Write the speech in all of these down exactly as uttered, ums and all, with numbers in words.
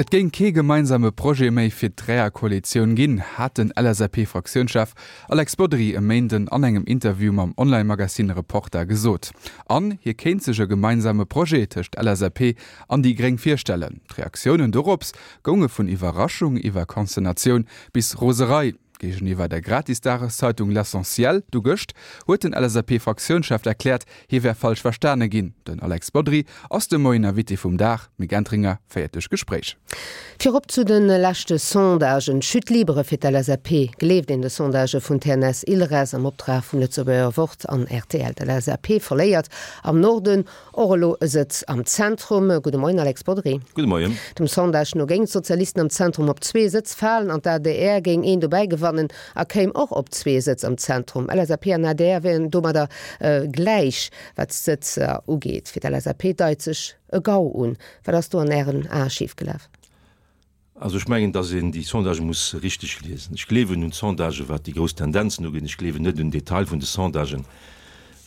Et géing kee gemeinsame Projet méi fir d'Dräierkoalitioun ginn, hat den L S A P-Fraktiounschef Alex Bodry e Méinden an engem Interview mam Online-Magazin Reporter gesot. An hie kéint sech e gemeinsame Projet tëscht L S A P an déi Gréng virstellen. D'Reaktiounen dorops gounge vun Iwwerraschung iwwer Konsternatioun bis Roserei. Géigeniwwer der Gratis-Dageszeitung L'Essentiel du gëscht huet den L S A P-Fraktiounschef erkläert, hie wär falsch verstane ginn. Den Alex Bodry ass de Moien Invité vum Dag. D'Mick Entringer féiert d'Gespréich. Virop zu de leschte Sondagen. Chute libre fir d'L S A P, gleeft een de Sondagë vun T N S Ilres am Optrag vum Lëtzebuerger Wort an R T L. D'L S A P verléiert am Norden, och elo e Sëtz am Zentrum. Gudde Moien, Alex Bodry. Gudde Moien. Dem Sondage no géing d'Sozialisten am Zentrum op zwee Sëtz falen an d'A D R géing een dobäi gewannen a kéim och op zwee Sëtz am Zentrum. L S A P an A D R wieren domadder äh, gläich, wat d'Sëtz äh, ugeet. Fir d'L S A P deit sech e Gau un. Wat ass do an Ären Ae schiefgelaf? Also ech mengen, dass een déi Sondagë muss richteg liesen. Ech gleewen un Sondagë wat déi grouss Tendenzen uginn. Ech gleewen net un Detail vun de Sondagen,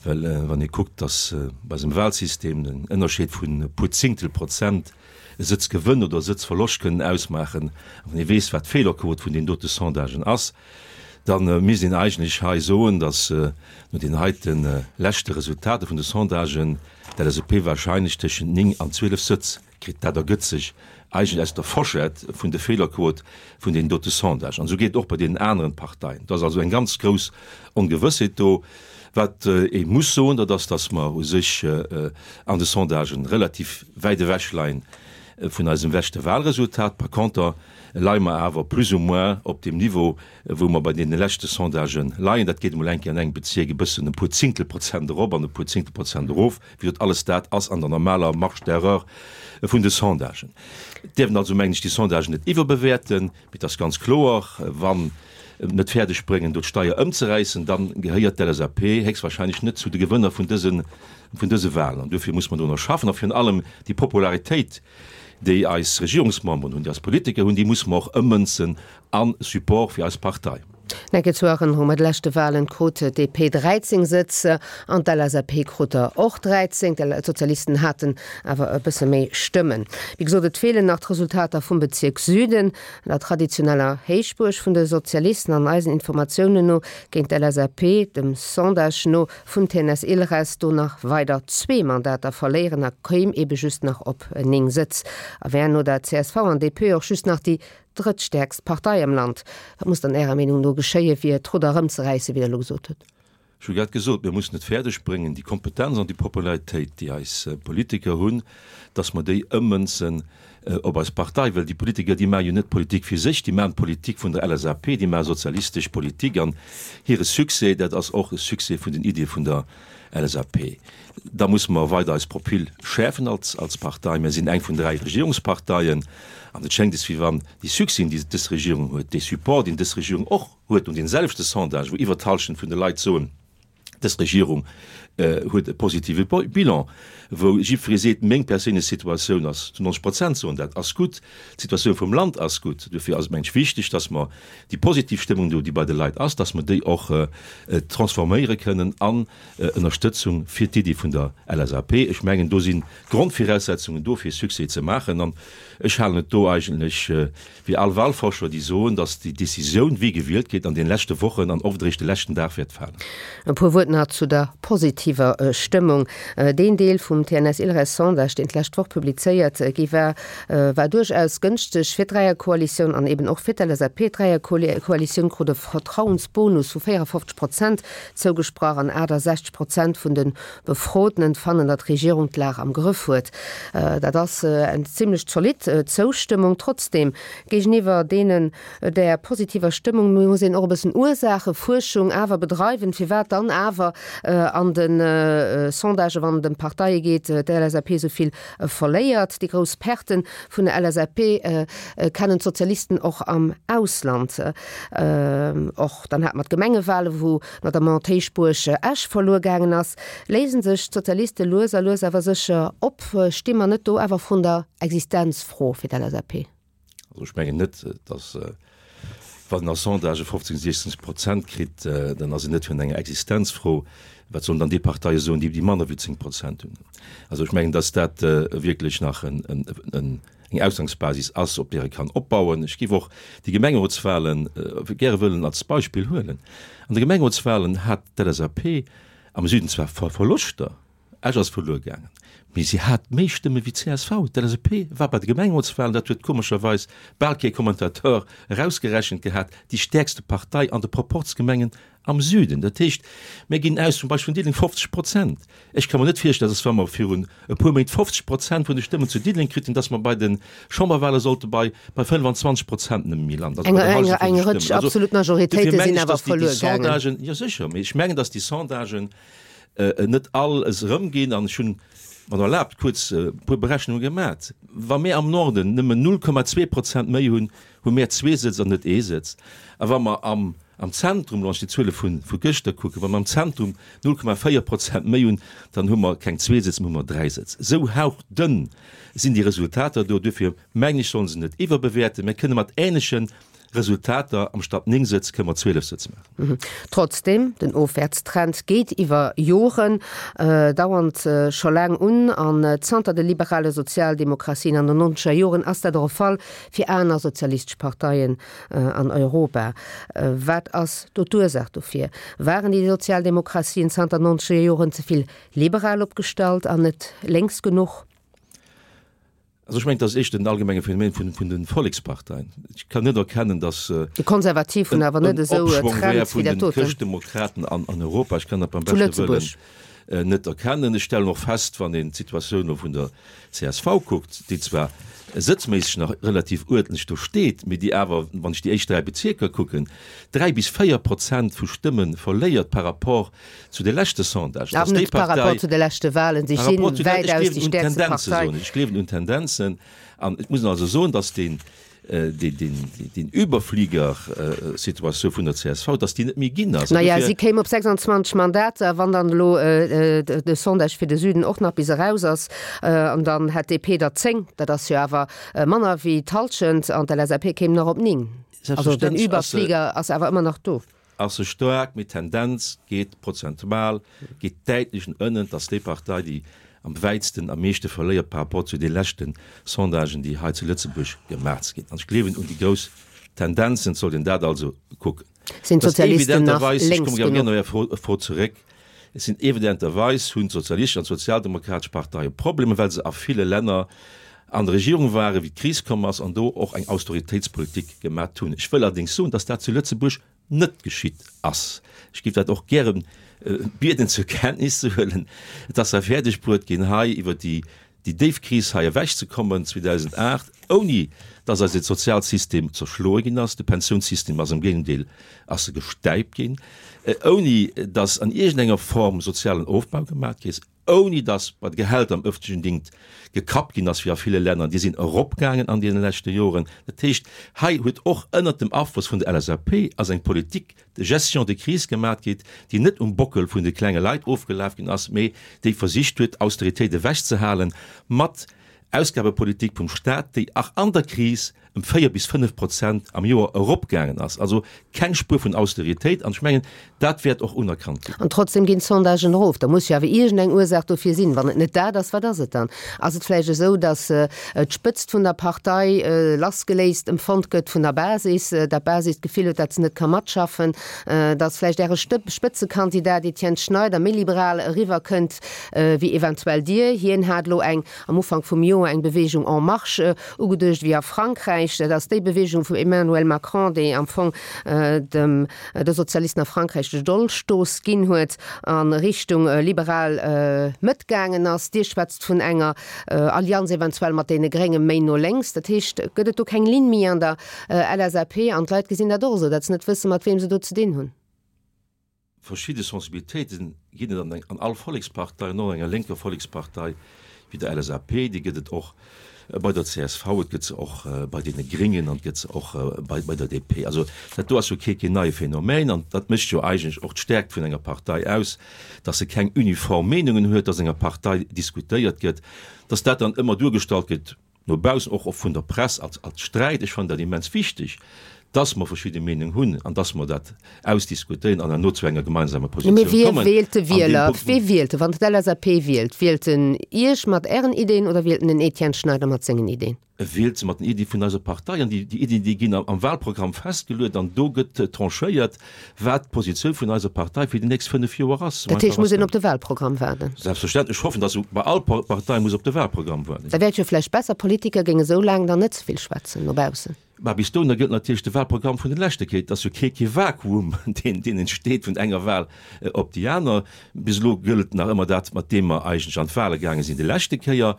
well äh, wann ee kuckt, dass äh, bei eisem Wahlsystem den Ënnerscheed vun e puer Zéngtel Prozent e Sëtzgewënn oder Sëtzverloscht kënnen ausmaachen, wann ee weess, wat d'Feelerquot vun den dote Sondagen ass, dann äh, misst een eigentlech hei soen, dass äh, no den heiten äh, leschte Resultater vun de Sondagen d'L S A P wahrscheinlech tëschent néng an zwielef Sëtz kritt. Dat ergëtt sech eigentlech aus der Forschett vun de Feelerquot vun den dote Sondagen. An esou geet et och bei den aneren Parteien. Dat ass also eng ganz grouss Ongewëssheet do. Wat äh, ee muss soen, dat ass, dass mer u sech äh, an de Sondagen relativ wäit ewech leien äh, vun eisem leschte Wahlresultat. Par conter leie mer awer plus ou moins op dem Niveau, äh, wou mer bei de leschte Sondagen leien. Dat geet mol eng Kéier an engem Bezierk e bëssen e puer Zéngtel Prozent erop an e puer Zéngtel Prozent erof, wéi dat alles dat ass an der normaler Marge d'erreur vun de Sondagen. Däerf een also, mengen ech, déi Sondagen net iwwerbewäerten, mee dat ass ganz kloer, wann net fäerdeg bréngen, do d'Steier ëmzeräissen, dann gehéiert d'L S A P héchstwahrscheinlech net zu de Gewënner vun dëse vun dëse Wahlen. An dofir muss mer do nach schaffen, a virun allem déi Popularitéit, déi eis Regierungsmemberen hunn, déi eis Politiker hunn, déi muss mer och ëmmënzen a Support fir eis Partei. Enke zur Erënnerung, bei de leschte Wahlen krut d'D P dräizéng Sëtz an d'L S A P krut der och dräizéng. D'Sozialisten haten awer e bësse méi Stëmmen. Wéi gesot, et feelen nach d'Resultater vum Bezierk Süden, der traditioneller Héichbuerg vun de Sozialisten. An eisen Informatiounen no géing d'L S A P dem Sondage no vun T N S Ilres do nach weider zwee Mandater verléieren a kéim ebe just nach op néng Sëtz. A wär no der C S V an D P och just nach déi drëttstäerkst Partei am Land. Wat muss dann Ärer Meenung no geschéie fir d'Rudder erëmzeräissen, wéi Der elo gesot hutt? Ech hu grad gesot, mir mussen et fäerdeg bréngen, déi Kompetenz an déi Popularitéit, déi eis äh, Politiker hunn, dass mer déi ëmmënzen äh, op eis Partei, well déi Politiker, déi maache jo net Politik fir sech, déi maachen Politik vun der L S A P, déi maache sozialistesch Politik an hire Succès, dat ass och e Succès vun den Iddie vun der L S A P. Da musse mer weider eis Profil schäerfen als, als Partei. Mir sinn eng vun dräi Regierungsparteien an et schéngt es, wéi wann déi Succès, déi dës Regierung huet, de Support, deen dës Regierung och huet un den selwechte Sondage, wou iwwer d'Hallschent vun de Leit soen, dës Regierung äh, huet e positive Bilan, wou jiddweree seet, meng perséinlech Situatioun ass zu neunzeg Prozent soen, dat ass gutt, d'Situatioun vum Land ass gutt. Dofir ass et mengen ech wichteg, dass mer déi positiv Stëmmung do, déi bei de Leit ass, dass mer déi och äh, äh, transforméiere kënnen an äh, Ënnerstëtzung fir d'Iddi vun der L S A P. Ech mengen, do sinn Grondviraussetzungen do fir Succès ze maachen an ech halen et do eigentlech äh, wéi all Wahlforscher, déi soen, dass déi Decisioun, wie gewielt gëtt, an de leschte Wochen an oft eréischt de leschten Dag wäert falen. E puer Wuert nach zu der positiver äh, Stëmmung. Äh, den Deel vum T N S Ilres Sondage, deen d'lescht Woch publizéiert äh, gi war, war duerchaus gënschteg fir d'Dräierkoalitioun an eben och fir d'L S A P. D'Dräierkoalitioun krut e Vertrauensbonus vu véierefofzeg Prozent zougesprach an achtesechzeg Prozent vun de Befrotenen fannen, datt d'Regierung d'Lag am Grëff huet. Dat ass eng zimmlech zolidd Zoustëmmung. Trotzdem géigeniwwer deenen der positiver Stëmmung muss een och e bëssen Ursaachefuerschung awer bedreiwen, firwat dann awer äh, an den äh, Sondagë wann et ëm Parteie geet, äh, d'L S A P esou vill äh, verléiert. Déi grouss Perten vun der L S A P äh, äh, kennen d'Sozialisten och am Ausland. Äh, och dann hat mer d'Gemengewahle, wou notamment d'Héichbuerg äh, Esch verluer gaangen ass. Léisen sech d'Sozialiste lues a lues awer sécher op, sti mer net do awer virun der Existenzfro fir d'L S A P? Also ech mengen net, dass äh, wann een a Sondagë fofzéng, siechzéng Prozent kritt, äh, dann ass et net vun enger Existenzfro. Wat sollen dann déi Parteie soen, déi déi manner wéi zéng Prozent hunn? Also ech mengen, dass dat äh, wierklech nach en, en, en, eng Ausgangsbasis ass, op där ee kann opbauen. Ech géif och déi Gemengerotswahlen gäre wëllen als Beispill huelen. An de Gemengerotswahlen hat d'LSAP am Süden zwar Verloschter, Esch ass verluer gaangen, mee si hat méi Stëmme wéi d'CSV. D'LSAP war bei de Gemengerotswahlen, dat huet komescherweis bal kee Commentateur erausgerechent gehat, déi stäerkste Partei an de Proporzgemengen am Süden. Dat heescht, mir ginn aus zum Beispill vun Diddeleng fofzeg Prozent. Ech ka mer net virstellen, dass wa mer virun e puer Méint fofzeg Prozent vun de Stëmmen zu Diddeleng kritt hunn, dass mer bei de Chamberwahle sollte bei bei fënnfanzwanzeg Prozent nëmme méi landen, also bei der Hallschent vun de Stëmmen. Eng Rëtsch Also absolut dofir Majoritéite mengen sinn ech, awer dass déi verluer gaangen. Sondagen, jo sécher, mee ech mengen, dass déi Sondagen net all es erëmginn. An ech hunn, wann Der erlaabt, kuerz e puer Berechnunge gemat. Wa mir am Norden nëmmen null Komma zwee Prozent méi hunn, hu mir zwee Sëtz an net ee Sëtz. A wa mer am am Zentrum, wann ech déi Zuele vu vu gëschter kucken, wa mer am Zentrum null Komma véier Prozent méi hunn, dann hu mer keng zwee Sëtz, mä hu mer dräi Sëtz. Esou hauchdënn sinn déi Resultater do. Duerfir mengen ech, solle se net iwwerbewäerten. Mir kënne mat änleche Resultater, amstatt néng Sëtz kënne mer zwielef Sëtz maachen. Trotzdem, den Ofwäertstrend geet iwwer Joren dauernd scho laang un an zanter de liberale Sozialdemokratien an den nonzeger Joren ass dat och e Fall fir aner sozialistesch Parteien an Europa. Wat ass do d'Ursaach dofir? Waren déi Sozialdemokratien zanter nonzeger Joren ze vill liberal opgestallt an net lénks genuch? Also ech mengen, dat ass éischter en allgemenge Phänomen vun, vun de Volleksparteien. Ech kann net erkennen, datt Déi Konservativ hunn en, awer net en esou e Opschwong wär Trend wéi vun dat de doten. Chrëschtdemokraten an, an Europa. Ech kann dat beim Zu beschte Wëllen Lëtzebuerg. net erkennen. Ech stellen och fest, wann een d'Situatioun elo vun der C S V kuckt, déi zwar sëtzméisseg nach relativ uerdentlech do steet, mee déi awer, wann ech déi éischt dräi Bezierker kucken, dräi bis véier Prozent vu Stëmme verléiert par rapport zu de leschte Sondagen, Awer dass déi net par rapport Partei zu de leschte Wahlen. Si par si rapport zu den, ech wäitaus gleewen déi un stäerkste Tendenze Partei. soen ech, ech gleewen un Tendenzen. An et muss een also soen, dass deen, deen, deen, deen Überflieger-Situatioun vun der C S V, dass déi net méi ginn ass. An Naja, dofir si kéim op sechsundzwanzeg Mandater, wann dann elo de Sondage fir de Süden och nach bis eraus ass. An dann hätt d'D P der zéng, dat ass jo awer manner wéi d'Hallschent, an d'L S A P kéim nach op néng. Also den Selbstverständlech ass se, Überflieger ass awer ëmmer nach do. ass se staark, mee d'Tendenz geet prozentual, geet däitlech no ënnen, dass déi Partei, déi am wäitsten, am meeschte verléiert par rapport zu de leschten Sondagen, déi hei zu Lëtzebuerg gemaach ginn. An ech gleewen un déi grouss Tendenzen, et sollt een dat also kucken. Sinn Et ass d'Sozialisten nach evidenterweis, ech lénks komme gär genuch? op Är Fro, Fro zeréck, et sinn evidenterweis hunn d'sozialistesch an d'sozialdemokratesch Parteie Problemer, well se a ville Länner an der Regierung waren, wéi d'Kris komm ass, an do och eng Austeritéitspolitik gemat hunn. Ech wëll allerdéngs soen, dass dat zu Lëtzebuerg net geschitt ass. Ech géif dat och gären bieden zur Kenntnis ze huelen. Et ass ja fäerdeg bruet ginn, hei iwwer déi déi déif Kris hei ewechzekommen zweedausendacht, ouni dass eise Sozialsystem zerschloe ginn ass, de Pensiounssystem ass am Géigendeel ass e gestäipt ginn, ouni dass an iergendenger Form sozialen Ofbau gemaach gi ass, ouni dass bei de Gehälter am öffentlichen Dingt gekappt ginn ass wéi a ville Länner, déi sinn eropgaangen an deene leschte Joren. Dat heescht, hei huet och ënnert dem Afloss vun der L S A P ass eng Politique de gestion de crise gemaat ginn, déi net um Bockel vun de klenge Leit ofgelaf ginn ass, mee déi versicht huet, Austeritéit ewechzehalen mat Ausgabepolitik vum Staat, déi ach an der Kris ëm véier bis fënnef Prozent am Joer eropgaangen ass. Also keng Spuer vun Austeritéit, an ech mengen, dat wäert och unerkannt ginn. An trotzdem ginn d'Sondagen erof. Da muss jo awer iergendeng Ursaach dofir sinn. Wann et net dat ass, wat ass et dann? Ass et vläicht esou, datt d'Spëtzt vun der Partei lassgeléist empfonnt gëtt vun der Basis, datt d'Basis d'Gefill huet, datt se net ka matschaffen, datt vläicht Äre Spëtzekandidat Etienne Schneider méi liberal eriwwerkënnt wéi eventuell Dir? Hien hat elo eng am Ufank vum Joer eng Bewegung En Marche ugeduecht, wéi a Frankräich. Dat ass déi Bewegung vum Emmanuel Macron, déi am Fong dem de Sozialisten a Frankräich de Dolchstooss ginn huet a Richtung liberal Mëtt gaangen ass. Dir schwätzt vun enger Allianz eventuell mat deene Grénge méi no lénks. Dat heescht, gëtt et do keng Linn méi an der L S A P? An d'Leit gesinn dat och esou, datt se net wësse mat weem se do ze dinn hunn. Verschidde Sensibilitéiten ginn et an an all Vollekspartei, an och an enger lénker Vollekspartei wéi der L S A P, déi gëtt et och bei der C S V, et gëtt se och bei deene Gringen an et gëtt se och bei bei der D P. Also dat do ass jo kee keen neie Phänomen an dat mécht jo eigentlech och d'Stärkt vun enger Partei aus, dass se keng uniform Meenungen huet, dass enger Partei diskutéiert gëtt, dass dat dann ëmmer duergestallt gëtt no baussen, och och vun der Press als als Sträit. Ech fannen dat immens wichteg, dass mer verschidde Meenung hunn an dass mer dat ausdiskutéieren an herno zu enger gemeinsamer Positioun Mee wie kommen. wielt de An deem Wieler? Punkt. Wie wielt e? Wann d'LSAP wielt, wielt en Iech mat Ären Ideen oder wielt en den Etienne Schneider mat sengen Ideen? E wielt se mat den Iddie vun eiser Partei an déi Iddien, déi ginn am Wahlprogramm festgeluet an do gëtt tranchéiert, wat d'Positioun vun eiser Partei fir déi nächst fënnef Joer ass. Dat heescht, muss een op de Wahlprogramm waarden? Selbstverständlech. Ech hoffen, datt bei all Partei muss op de Wahlprogramm waarden. Da wär et jo vläicht besser, Politiker géinge sou laang dann net ze vill schwätzen no baussen. Mä bis dohinner gëllt natierlech de Wahlprogramm vun de leschte Kéier. Et ass jo kee kee Vakuum, deen deen entsteet vun enger Wahl op déi aner. Bis elo gëllt nach ëmmer dat, mat deem mer eigentlech an d'Wahle gaange sinn déi leschte Kéier.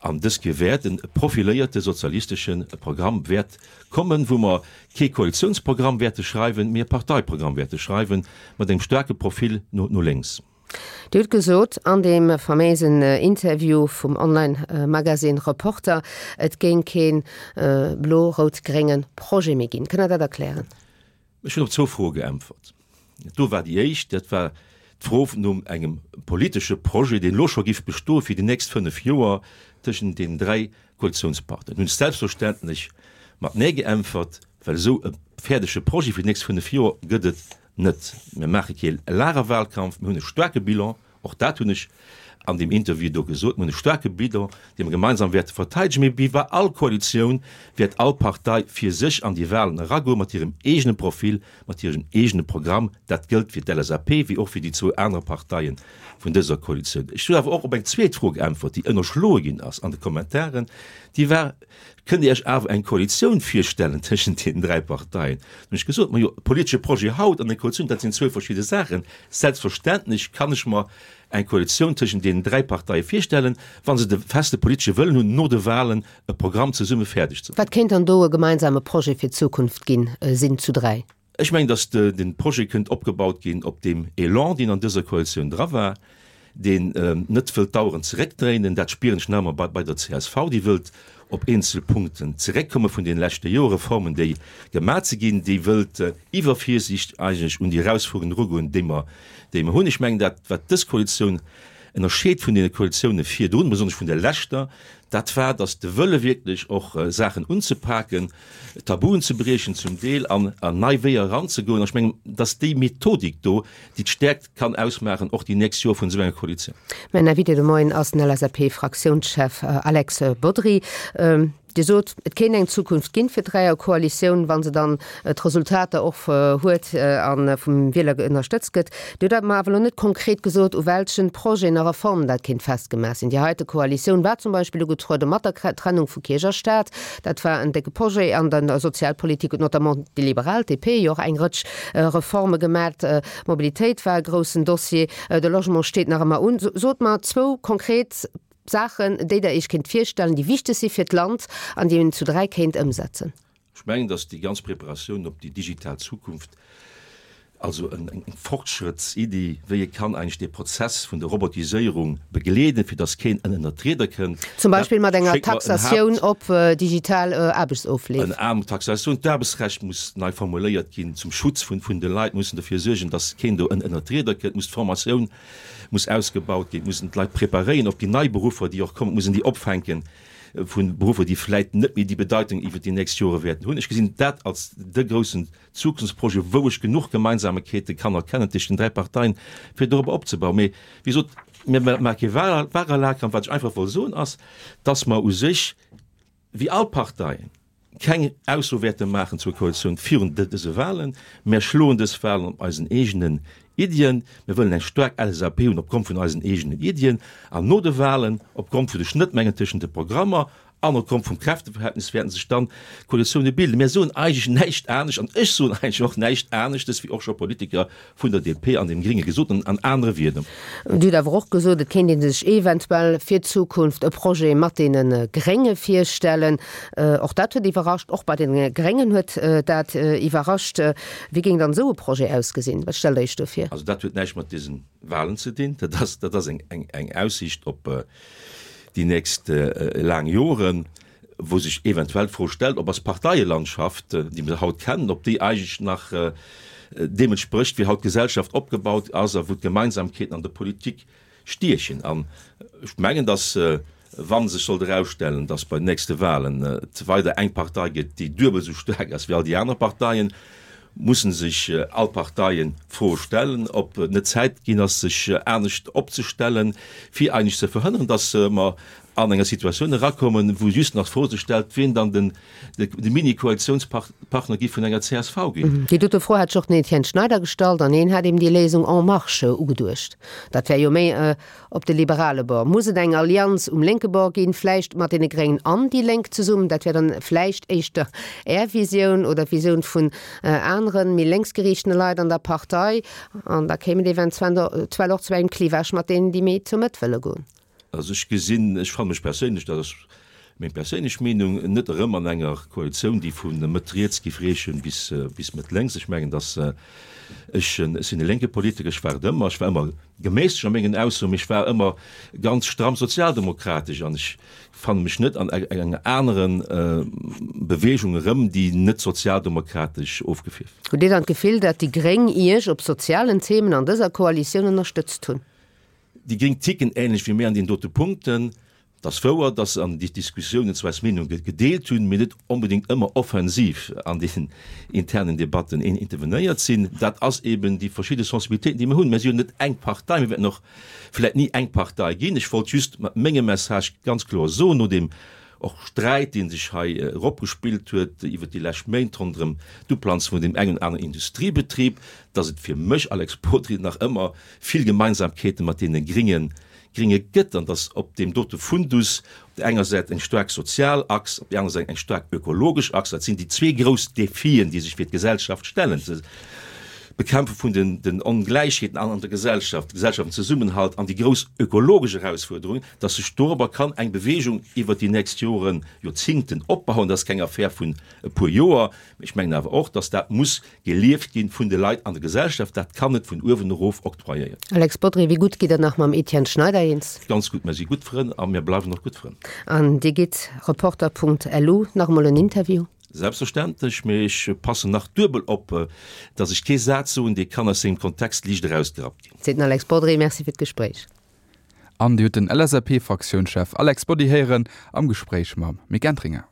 An dës Kéier wäert e profiléierte sozialistesche Programm wäert kommen, wou mer kee Koalitiounsprogramm wäerte schreiwen, mee e Parteiprogramm wäerte schreiwen, mat engem staarke Profil no no lénks. Dir hutt gesot an deem faméisen Interview vum Online-Magasinn Reporter, et géing kee blo-rout-grénge Projet méi ginn. Kënnt Der dat erklären? Ech hunn op zwou Froe geäntwert. Do war déi éischt, dat war d'Fro no engem politesche Projet, deen elo scho giff bestoe fir déi nächst fënnef Joer tëschent deenen dräi Koalitiounspartner. Do hunn ech selbstverständlech mat Nee geäntwert, well esou e fäerdege Projet fir déi nächst fënnef Joer gëtt et net. Mir maache kee Lagerwahlkampf, mir hunn e staarke Bilan, och dat hunn ech an deem Interview do gesot, mir hunn e staarke Bilan, dee mir gemeinsam wäerte verteidegen. Mee wéi bei all Koalitioun wäert all Partei fir sech an déi Wahlen eragoen, mat hirem eegene Profil, mat hirem eegene Programm. Dat gëllt fir d'LSAP wéi och fir déi zwou aner Parteie vun dëser Koalitioun. Ech hunn awer och op eng zweet Fro geäntwert, déi ënnerschloe ginn ass an de Kommentaren, déi war, Kënnt Dir Iech awer eng Koalitioun virstellen tëschent deenen dräi Parteien? Dann hunn ech gesot, Majo, e politesche Projet haut an eng Koalitioun, dat sinn zwou verschidde Saachen. Selbstverständlech kann ech mer eng Koalitioun tëschent deenen dräi Parteie virstellen, wa se de feste politesche Wëllen hunn, no de Wahlen e Programm zesumme fäerdeg ze Wat kéint dann do e gemeinsame Projet fir d'Zukunft ginn, sinn zu dräi? Ech mengen, datt de Projet kënnt opgebaut ginn op deem Elan, deen an dëser Koalitioun dra war, deen net wëllt d'Aueren zeréckdréinen. Dat spieren ech nach ëmmer bei der csv, déi wëllt op eenzel Punkten zeréckkomme vun deene leschte Jore, Reformen, déi gemat si ginn, déi wëllt iwwer Virsiicht eigentlech un déi Erausfuerderungen erugoen, déi mer, déi mer hunn. Ech mengen, dat, wat dës Koalitioun ënnerscheet vun deene Koalitioune virdrun, besonnesch vun der leschter, dat war, datt de Wëlle wierklech och Saachen unzepaken, Tabuen ze briechen zum Deel an an nei Weeër eranzegoen. An ech mengen, datt déi Methodik do, déi d'Stäerkt kann ausmaachen, och déi nächst Joer vun esou enger Koalitioun. Mäin Invité de Moien ass den LSAP-Fraktiounschef Alex Bodry. Dir sot, et kéint eng Zukunft ginn fir d'Dräierkoalitioun, wa se dann d'Resultater och huet a vum Wieler ënnerstëtzt gëtt. Dir hutt mer awer elo net konkret gesot, u welchen Projeten a Reformen dat kéint festgemaach sinn. Déi heite Koalitioun war zum Beispill ugetruede mat der Trennung vu Kierch a Staat. Dat war en décke Projet. An der Sozialpolitik huet notamment déi Liberal, d'DP, jo och eng Rëtsch Reforme gemat. D'Mobilitéit war e groussen Dossier. De Logement steet nach ëmmer un. Sot mer zwou konkret Saachen, déi Der Iech kéint virstellen, déi wichteg si fir d'Land an déi een zu dräi kéint ëmsetzen. Ech mengen, datt déi ganz Preparatioun op déi digital Zukunft, also eng Fortschrëttsiddi, wéi ee kann eigentlech dee Prozess vun der Robotiséierung begleeden, fir datt keen ënnert d'Rieder kënnt, Zum dat Beispill mat enger schéngt mer en Taxatioun Haapt. op digital Aarbechtsofleef. Ënner anerem Taxatioun. D'Aarbechtsrecht muss nei formuléiert ginn zum Schutz vun de Leit, mussen derfir suergen, datt keen do ënnert d'Rieder kënnt, muss d'Formatioun muss ausgebaut ginn, et mussen d'Leit preparéieren op déi nei Beruffer, déi och kommen, et muss een déi opfänken vu Beruffer, déi vläit net méi déi Bedeitung iwwert déi nächst Jore wäerten hunn. Ech gesinn dat als de groussen Zukunftsprojet, wou ech genuch Gemeinsamekeete kann erkennen tëscht den dräi Parteien, fir dorobber opzebauen. Mee wéi gesot, mir maache kee Wahlkampf. Wat ech einfach wollt soen, ass, dass mer u sech, wéi all Parteien, keng Ausso wäerte maachen zur Koalitioun virun dëse Wahlen. Mär schloen dës Wahlen op eisen eegenen Iddien. Mir wëllen eng staark LSAP hunn opgrond vun eisen eegenen Iddien. An no de Wahlen, opgrond vun de Schnëttmengen tëschent de Programmer an opgrond vum Kräfteverhältnis, wäerten sech dann Koalitioune bilden. Mär soen eigentlech näischt anescht, an ech soen eigentlech och näischt aneschtes, wéi och scho Politiker vun der DP an dem Gringe gesot hunn, an anere Wieder. Dir hutt awer och gesot, et kéint ee sech eventuell fir d'Zukunft e Projet mat deene Grénge virstellen. Och dat huet iwwerrascht. Och bei deene Gréngen huet dat iwwerrascht. Wéi géing dann esou e Projet ausgesinn? Wat stellt Der Iech do vir? Also dat huet näischt mat dëse Wahlen ze dinn. Dat ass, dat ass eng, eng, eng Aussiicht op déi nächst laang Joren, wou sech eventuell d'Fro stellt, ob eis Parteielandschaft, déi mir haut kennen, ob déi eigentlech nach deem entsprécht, wéi haut d'Gesellschaft opgebaut ass a wou d'Gemeinsamkeeten an der Politik stiechen. An ech mengen, datt Wa sech sollt erausstellen, datt bei den nächste Wahlen et weider eng Partei gëtt, déi duebel esou staark ass wéi all déi aner Parteien, musse sech all Parteien d'Fro stellen, ob et net Zäit ginn ass, sech anescht opzestellen, fir eigentlech ze verhënneren, datt mer an enger Situatioun erakommen, wou just nach d'Fro sech stellt, wien dann den de Mini-Koalitiounspartner géif vun enger C S V ginn. Déi dote Fro hat sech och den Etienne Schneider gestallt an hien hat eben déi Léisung En Marche ugeduecht. Dat wär jo méi op de liberale Bord. Muss et eng Allianz um lénke Bord ginn, vläicht mat deene Gréngen an déi Lénk zesummen? Dat wär dann vläicht éischter Är Visioun oder d'Visioun vun aneren, méi lénksgeriichtene Leit an der Partei. An da kéim et eventuell och zu engem Clivage mat deenen, déi méi zur Mëtt wëlle goen. Also ech gesinn, ech fanne mech perséinlech, dat ass meng perséinlech Meenung, net erëm an enger Koalitioun, déi vu Mëtt riets géif reechen bis bis Mëtt lénks. Ech mengen, datt ech, ech sinn e lénke Politiker, ech war et ëmmer, ech war ëmmer geméisseg a mengen Aussoen, mee ech war ëmmer ganz stramm sozialdemokratesch an ech fanne mech net an enger anere Beweegung erëm, déi net sozialdemokratesch ofgefierft. Hutt Dir dann d'Gefill, datt déi gréng Iech op sozialen Themen an dëser Koalitioun ënnerstëtzt hunn? Déi gréng ticken änlech wéi mir an deenen dote Punkten. Et ass wouer, datt se an déi Diskussiounen zwar eis Meenung gedeelt hunn, mee net onbedéngt ëmmer offensiv an deenen internen Debatten intervenéiert sinn. Dat ass eben déi verschidde Sensibilitéiten, déi mir hunn. Mir si jo net eng Partei, mir wäerten och vläicht ni eng Partei ginn. Ech wollt just mat mengem Message ganz kloer soen, no deem och Sträit, dee sech hei eropgespillt huet iwwert déi lescht Méint ronderëm d'Uplanze vun deem engen oder aneren Industriebetrib, datt et fir mech, Alex Bodry, nach ëmmer vill Gemeinsamkeete mat deene Gringe Gringe gëtt an datt op deem dote Fundus op där enger Säit eng staark sozial Achs, op där anerer Säit eng staark ökologesch Achs, dat sinn déi zwee grouss Defien, déi sech fir d'Gesellschaft stellen, d'Bekämpfe vun den Ongläichheeten an der Gesellschaft, de gesellschaftlechen Zesummenhalt an déi grouss ökologesch Erausfuerderungen, datt sech dorobber kann eng Bewegung iwwert déi nächst Joren, Joerzingten opbauen. Dat ass keng Affär vun e puer Joer. Mä ech mengen awer och, datt dat muss gelieft gi vun de Leit an der Gesellschaft. Dat kann net vun uewen erof octroyéiert ginn. Alex Bodry, wéi gutt gitt Der nach mam Etienne Schneider eens? Ganz gutt. Mir si gutt Frënn a mir bleiwen och gutt Frënn. An Dir gitt Reporter Punkt lu nach emol en Interview? Selbstverständlech, mee ech passen nach duebel op, datt ech kee Saz soen, dee kann aus sengem Kontext liicht erausgerappt ginn. Seet den Alex Bodry. Merci fir d'Gespréich. An Dir hutt den L S A P-Fraktiounschef Alex Bodry héieren am Gespréich mam Mick Entringer.